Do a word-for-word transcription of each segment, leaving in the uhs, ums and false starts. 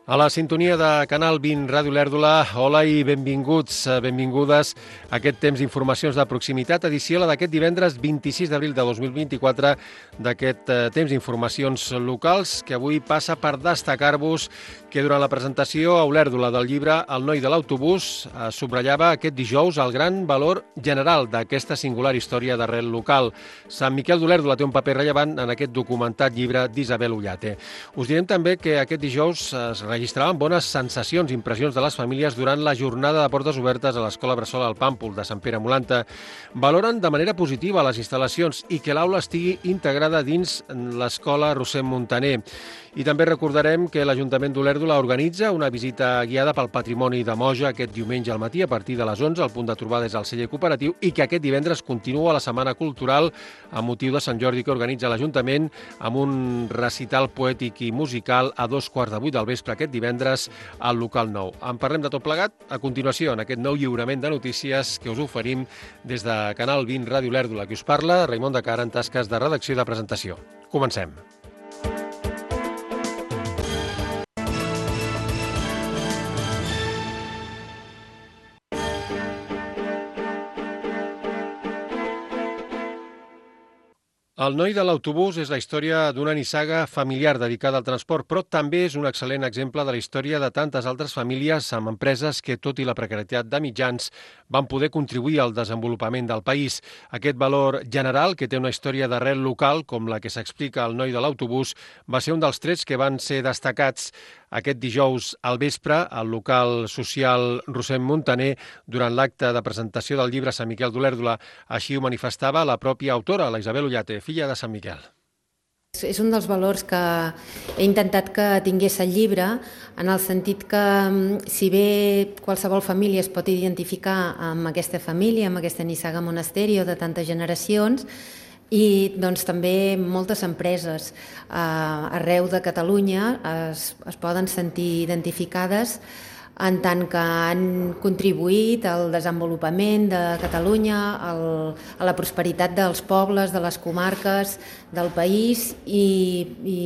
A la sintonia de Canal vint Ràdio Lèrdula, hola i benvinguts, benvingudes a aquest temps d'informacions de proximitat, edició la d'aquest divendres vint-i-sis d'abril de dos mil vint-i-quatre, d'aquest temps d'informacions locals, que avui passa per destacar-vos que durant la presentació a Olèrdula del llibre El noi de l'autobús subratllava aquest dijous el gran valor general d'aquesta singular història d'arrel local. Sant Miquel d'Olèrdula té un paper rellevant en aquest documentat llibre d'Isabel Ullate. Us direm també que aquest dijous es registraven bones sensacions i impressions de les famílies durant la jornada de portes obertes a l'Escola Bressol al Pàmpol de Sant Pere Molanta. Valoren de manera positiva les instal·lacions i que l'aula estigui integrada dins l'Escola Roser Muntaner. I també recordarem que l'Ajuntament d'Olèrdula organitza una visita guiada pel patrimoni de Moja aquest diumenge al matí a partir de les onze. El punt de trobada és el celler cooperatiu i que aquest divendres continua la Setmana Cultural amb motiu de Sant Jordi que organitza l'Ajuntament amb un recital poètic i musical a dos quarts de vuit del vespre aquest divendres al local nou. En parlem de tot plegat a continuació en aquest nou lliurament de notícies que us oferim des de Canal vint Ràdio Lèrdula. Qui us parla, Raimon de Cara, en tasques de redacció i de presentació. Comencem. El noi de l'autobús és la història d'una nissaga familiar dedicada al transport, però també és un excel·lent exemple de la història de tantes altres famílies amb empreses que, tot i la precarietat de mitjans, van poder contribuir al desenvolupament del país. Aquest valor general, que té una història d'arrel local, com la que s'explica al noi de l'autobús, va ser un dels trets que van ser destacats aquest dijous al vespre al local social Roser Muntaner durant l'acte de presentació del llibre Sant Miquel d'Olèrdula. Així ho manifestava la pròpia autora, la Isabel Ullate, filla de Sant Miquel. És un dels valors que he intentat que tingués el llibre, en el sentit que, si bé qualsevol família es pot identificar amb aquesta família, amb aquesta nissaga monasterio de tantes generacions, i doncs també moltes empreses eh, arreu de Catalunya es, es poden sentir identificades en tant que han contribuït al desenvolupament de Catalunya, al, a la prosperitat dels pobles, de les comarques, del país, i, i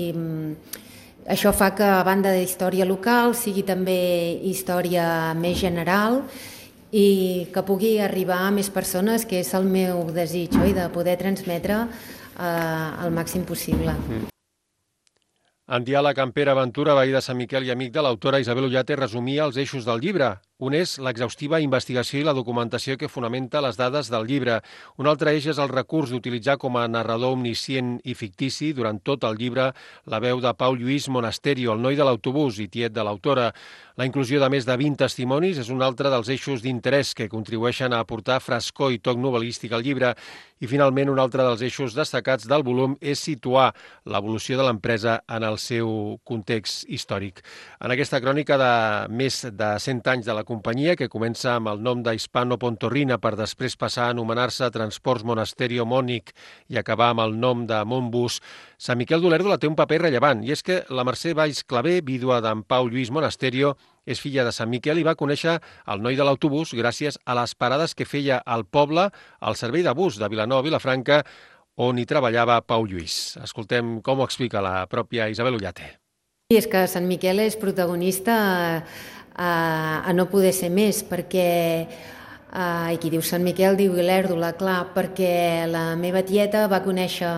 això fa que, a banda d'història local, sigui també història més general i que pugui arribar a més persones, que és el meu desig, oi? De poder transmetre eh, el màxim possible. Mm. En diàleg amb Pere Ventura, veí de Sant Miquel i amic de l'autora, Isabel Ullate resumia els eixos del llibre. Un és l'exhaustiva investigació i la documentació que fonamenta les dades del llibre. Un altre eix és el recurs d'utilitzar com a narrador omniscient i fictici durant tot el llibre la veu de Pau Lluís Monasterio, el noi de l'autobús i tiet de l'autora. La inclusió de més de vint testimonis és un altre dels eixos d'interès que contribueixen a aportar frescor i toc novel·lístic al llibre. I, finalment, un altre dels eixos destacats del volum és situar l'evolució de l'empresa en el seu context històric. En aquesta crònica de més de cent anys de la companyia, que comença amb el nom d'Hispano Pontorrina per després passar a anomenar-se Transports Monasterio Mònic i acabar amb el nom de Montbus, Sant Miquel d'Olèrdula té un paper rellevant, i és que la Mercè Valls Clavé, vídua d'en Pau Lluís Monasterio, és filla de Sant Miquel i va conèixer el noi de l'autobús gràcies a les parades que feia al poble al servei de bus de Vilanova a Vilafranca, on hi treballava Pau Lluís. Escoltem com ho explica la pròpia Isabel Ullate. I és que Sant Miquel és protagonista a, a no poder ser més, perquè, a, i qui diu Sant Miquel diu Olèrdula, clar, perquè la meva tieta va conèixer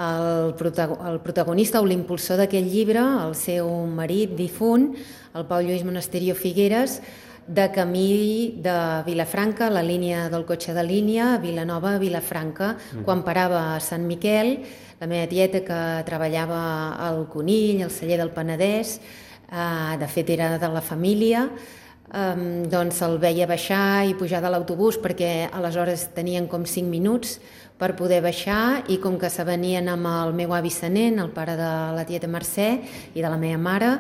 el, el protagonista o l'impulsor d'aquest llibre, el seu marit difunt, el Pau Lluís Monasterio Figueres, de camí de Vilafranca, la línia del cotxe de línia, Vilanova a Vilafranca, mm. quan parava a Sant Miquel, la meva tieta que treballava al Conill, al celler del Penedès, eh, de fet era de la família, eh, doncs el veia baixar i pujar de l'autobús perquè aleshores tenien com cinc minuts per poder baixar, i com que se venien amb el meu avi Senent, el pare de la tieta Mercè i de la meva mare,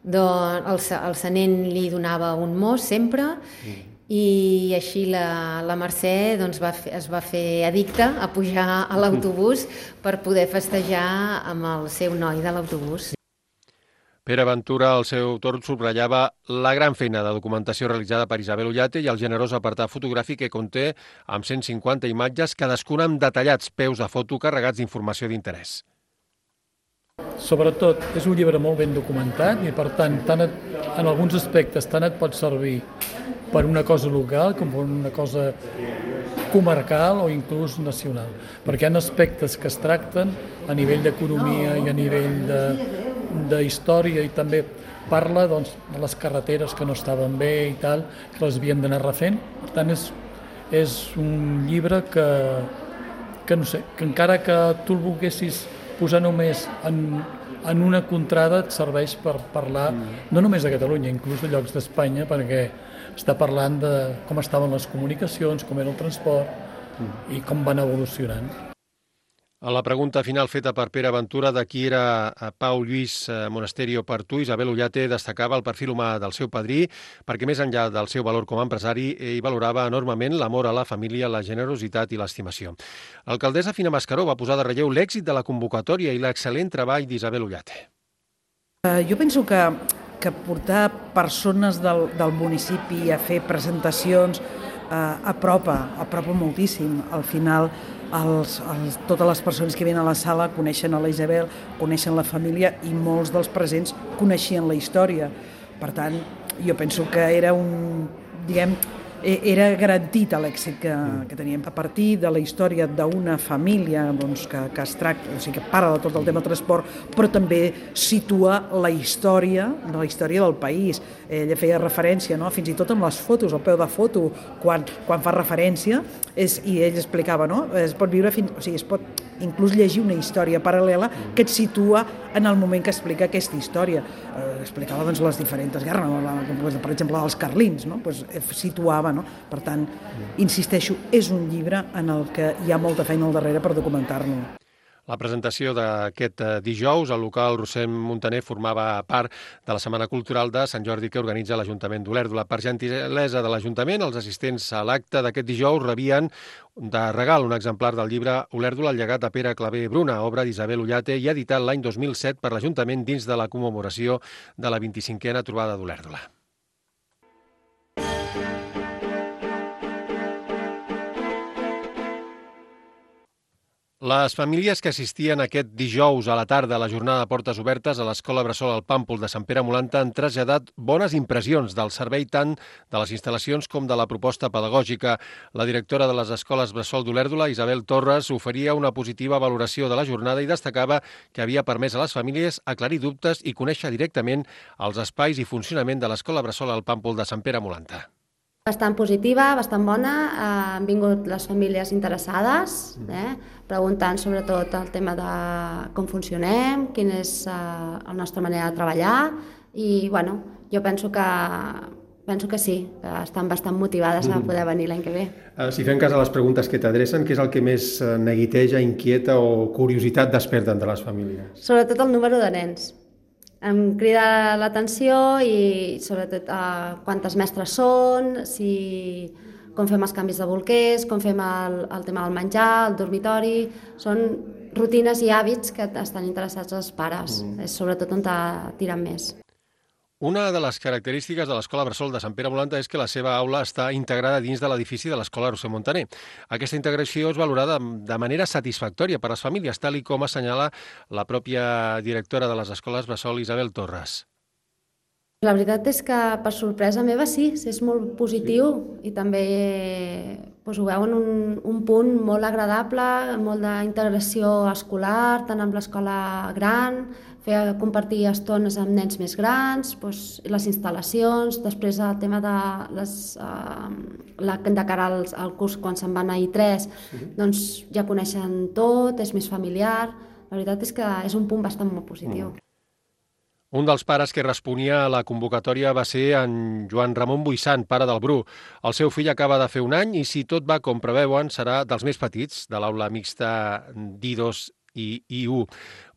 doncs el, el Senent li donava un mos sempre, mm. i així la, la Mercè doncs, va fer, es va fer addicta a pujar a l'autobús per poder festejar amb el seu noi de l'autobús. Pere Ventura, al seu torn, subratllava la gran feina de documentació realitzada per Isabel Ullate i el generós apartat fotogràfic que conté amb cent cinquanta imatges, cadascuna amb detallats peus de foto carregats d'informació d'interès. Sobretot, és un llibre molt ben documentat i, per tant, tant et, en alguns aspectes tant et pot servir per una cosa local com per una cosa comarcal o inclús nacional, perquè hi ha aspectes que es tracten a nivell d'economia i a nivell de, de història, i també parla doncs, de les carreteres que no estaven bé i tal, que les havien d'anar refent. Per tant, és, és un llibre que, que no sé, que encara que tu el volguessis posar només en, en una contrada, et serveix per parlar no només de Catalunya, inclús de llocs d'Espanya, perquè està parlant de com estaven les comunicacions, com era el transport i com van evolucionant. A la pregunta final feta per Pere Ventura de qui era Pau Lluís Monasterio per tu, Isabel Ullate destacava el perfil humà del seu padrí perquè més enllà del seu valor com a empresari ell valorava enormement l'amor a la família, la generositat i l'estimació. L'alcaldessa Fina Mascaró va posar de relleu l'èxit de la convocatòria i l'excel·lent treball d'Isabel Ullate. Uh, jo penso que, que portar persones del, del municipi a fer presentacions uh, apropa, apropa moltíssim. Al final, Els, els, totes les persones que venen a la sala coneixen a la Isabel, coneixen la família i molts dels presents coneixien la història. Per tant, jo penso que era un, diguem, era garantit l'èxit que, que teníem. A partir de la història d'una família doncs, que, que es tracta, o sigui, que parla de tot el tema transport, però també situa la història, de la història del país. Ella feia referència, no? Fins i tot amb les fotos, el peu de foto, quan, quan fa referència, és, i ell explicava, no? Es pot viure fins, o sigui, es pot inclús llegir una història paral·lela que et situa en el moment que explica aquesta història. Eh, explicava doncs, les diferents guerres, no? La, per exemple, la dels carlins, no? Pues, situava, no? Per tant, insisteixo, és un llibre en el que hi ha molta feina al darrere per documentar-lo. La presentació d'aquest dijous al local Rossem Montaner formava part de la Setmana Cultural de Sant Jordi que organitza l'Ajuntament d'Olèrdola. Per gentilesa de l'Ajuntament, els assistents a l'acte d'aquest dijous rebien de regal un exemplar del llibre Olèrdola, el llegat de Pere Clavé Bruna, obra d'Isabel Ullate i editat l'any dos mil set per l'Ajuntament dins de la commemoració de la vint-i-cinquena trobada d'Olèrdola. Les famílies que assistien aquest dijous a la tarda a la jornada de portes obertes a l'Escola Bressol al Pàmpol de Sant Pere Molanta han traslladat bones impressions del servei tant de les instal·lacions com de la proposta pedagògica. La directora de les escoles Bressol d'Olèrdola, Isabel Torres, oferia una positiva valoració de la jornada i destacava que havia permès a les famílies aclarir dubtes i conèixer directament els espais i funcionament de l'Escola Bressol al Pàmpol de Sant Pere Molanta. Bastant positiva, bastant bona. Han vingut les famílies interessades, eh, preguntant sobretot el tema de com funcionem, quina és eh, la nostra manera de treballar i bueno, jo penso que, penso que sí, que estan bastant motivades a poder venir l'any que ve. Si fem cas a les preguntes que t'adrecen, què és el que més neguiteja, inquieta o curiositat desperten de les famílies? Sobretot el número de nens. Em crida l'atenció i sobretot eh, quantes mestres són, si, com fem els canvis de bolquers, com fem el, el tema del menjar, el dormitori. Són rutines i hàbits que estan interessats els pares, mm. és sobretot on tiren més. Una de les característiques de l'Escola Bressol de Sant Pere Molanta és que la seva aula està integrada dins de l'edifici de l'Escola Rossem Montaner. Aquesta integració és valorada de manera satisfactòria per a les famílies, tal i com assenyala la pròpia directora de les escoles Bressol, Isabel Torres. La veritat és que, per sorpresa meva, sí, és molt positiu sí. I també doncs, ho veuen un, un punt molt agradable, molt d'integració escolar, tant amb l'escola gran, fer compartir estones amb nens més grans, doncs, les instal·lacions, després el tema de, les, uh, la, de cara al, al curs quan se'n van a I tres, sí. Doncs ja coneixen tot, és més familiar. La veritat és que és un punt bastant molt positiu. Mm. Un dels pares que responia a la convocatòria va ser en Joan Ramon Buissant, pare del Bru. El seu fill acaba de fer un any i, si tot va com preveuen, serà dels més petits de l'aula mixta d'I dos i I u.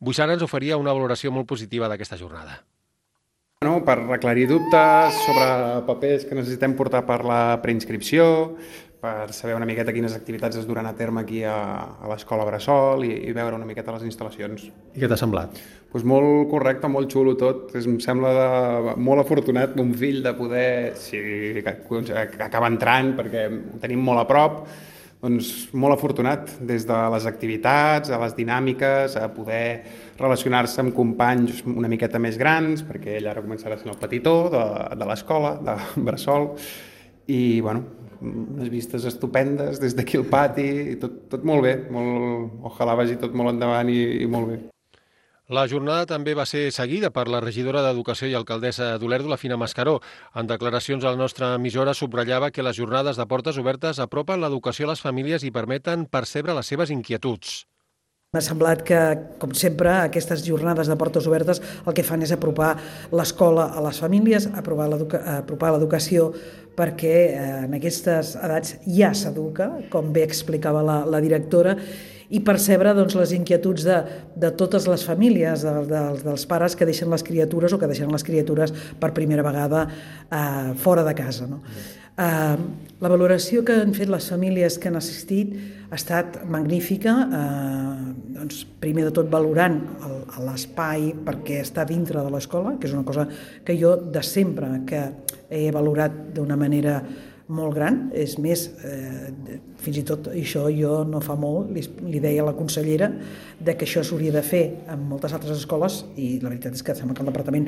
Buissant ens oferia una valoració molt positiva d'aquesta jornada. No, per aclarir dubtes sobre papers que necessitem portar per la preinscripció, per saber una miqueta quines activitats es duran a terme aquí a, a l'Escola Bressol i, i veure una miqueta les instal·lacions. I què t'ha semblat? Pues molt correcte, molt xulo tot. Em sembla de, molt afortunat mon fill de poder, si acaba entrant, perquè ho tenim molt a prop, doncs, molt afortunat, des de les activitats, a les dinàmiques, a poder relacionar-se amb companys una miqueta més grans, perquè ell ara començarà sent el petitó de, de l'escola, de Bressol, i bueno, unes vistes estupendes des d'aquí al pati, i tot, tot molt bé, molt, ojalà vagi tot molt endavant i, i molt bé. La jornada també va ser seguida per la regidora d'Educació i alcaldessa d'Olèrdola, Fina Mascaró. En declaracions a la nostra emissora subratllava que les jornades de portes obertes apropen l'educació a les famílies i permeten percebre les seves inquietuds. M'ha semblat que, com sempre, aquestes jornades de portes obertes el que fan és apropar l'escola a les famílies, apropar l'educació, perquè en aquestes edats ja s'educa, com bé explicava la, la directora, i percebre doncs, les inquietuds de, de totes les famílies, de, de, dels pares que deixen les criatures o que deixen les criatures per primera vegada eh, fora de casa. No? Eh, la valoració que han fet les famílies que han assistit ha estat magnífica, eh, doncs, primer de tot valorant l'espai perquè està dintre de l'escola, que és una cosa que jo de sempre que he valorat d'una manera molt gran, és més, eh, fins i tot això jo no fa molt li, li deia a la consellera de que això s'hauria de fer en moltes altres escoles i la veritat és que sembla que el departament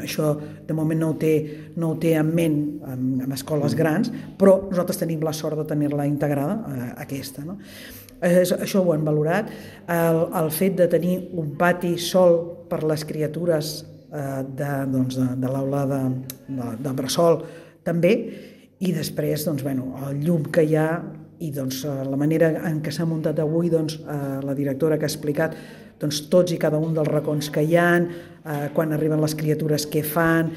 això de moment no ho té, no ho té en ment en, en escoles grans, però nosaltres tenim la sort de tenir-la integrada, eh, aquesta, no? Eh, això ho han valorat, el, el fet de tenir un pati sol per les criatures eh, de, doncs de, de l'aula de, de, de Bressol també. I després, doncs, bueno, el llum que hi ha i doncs, la manera en què s'ha muntat avui, doncs, la directora que ha explicat doncs, tots i cada un dels racons que hi ha, eh, quan arriben les criatures què fan.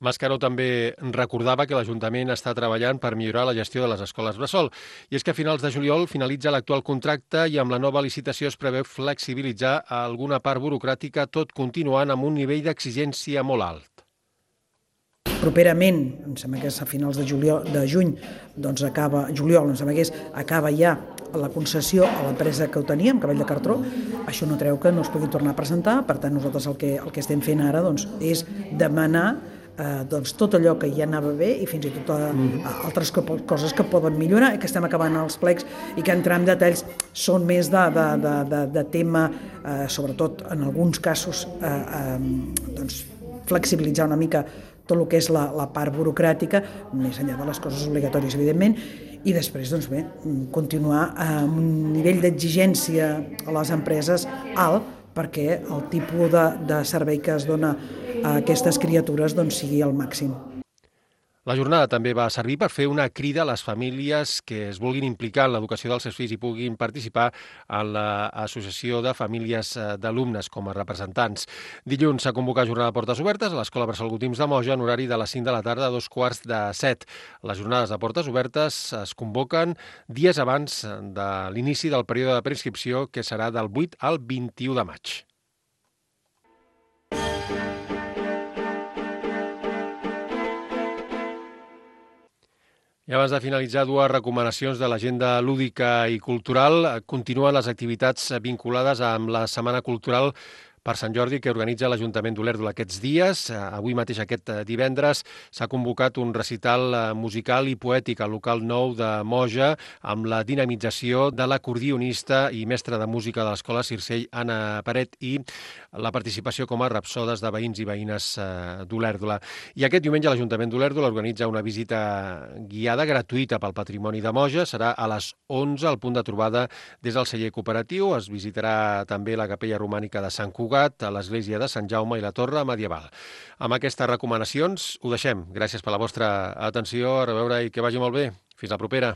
Mascaró també recordava que l'Ajuntament està treballant per millorar la gestió de les escoles bressol. I és que a finals de juliol finalitza l'actual contracte i amb la nova licitació es preveu flexibilitzar alguna part burocràtica, tot continuant amb un nivell d'exigència molt alt. Properament, em sembla que és a finals de, juliol, de juny, doncs acaba, juliol, em sembla que és, acaba ja la concessió a l'empresa que ho teníem, Cavall de Cartró. Això no treu que no es pugui tornar a presentar, per tant nosaltres el que, el que estem fent ara doncs, és demanar eh, doncs, tot allò que ja anava bé i fins i tot a, a altres coses que poden millorar i que estem acabant els plecs i que entrar en detalls són més de, de, de, de, de tema, eh, sobretot en alguns casos, eh, eh, doncs, flexibilitzar una mica tot el que és la, la part burocràtica, més enllà de les coses obligatòries, evidentment, i després, doncs bé, continuar amb un nivell d'exigència a les empreses alt perquè el tipus de, de servei que es dona a aquestes criatures doncs, sigui el màxim. La jornada també va servir per fer una crida a les famílies que es vulguin implicar en l'educació dels seus fills i puguin participar en l'Associació de Famílies d'Alumnes com a representants. Dilluns s'ha convocat jornada de portes obertes a l'Escola Bressol Gotims de Moja en horari de les cinc de la tarda a dos quarts de set. Les jornades de portes obertes es convoquen dies abans de l'inici del període de preinscripció, que serà del vuit al vint-i-u de maig. I abans de finalitzar, dues recomanacions de l'agenda lúdica i cultural. Continuen les activitats vinculades amb la Setmana Cultural per Sant Jordi que organitza l'Ajuntament d'Olèrdola aquests dies. Avui mateix, aquest divendres, s'ha convocat un recital musical i poètic al local nou de Moja amb la dinamització de l'acordionista i mestra de música de l'Escola Circell, Anna Paret, i la participació com a rapsodes de veïns i veïnes d'Olèrdola. I aquest diumenge l'Ajuntament d'Olèrdola organitza una visita guiada gratuïta pel patrimoni de Moja. Serà a les onze, al punt de trobada des del celler cooperatiu. Es visitarà també la capella romànica de Sant Cugat, a l'església de Sant Jaume i la torre medieval. Amb aquestes recomanacions ho deixem. Gràcies per la vostra atenció, a reveure i que vagi molt bé. Fins la propera.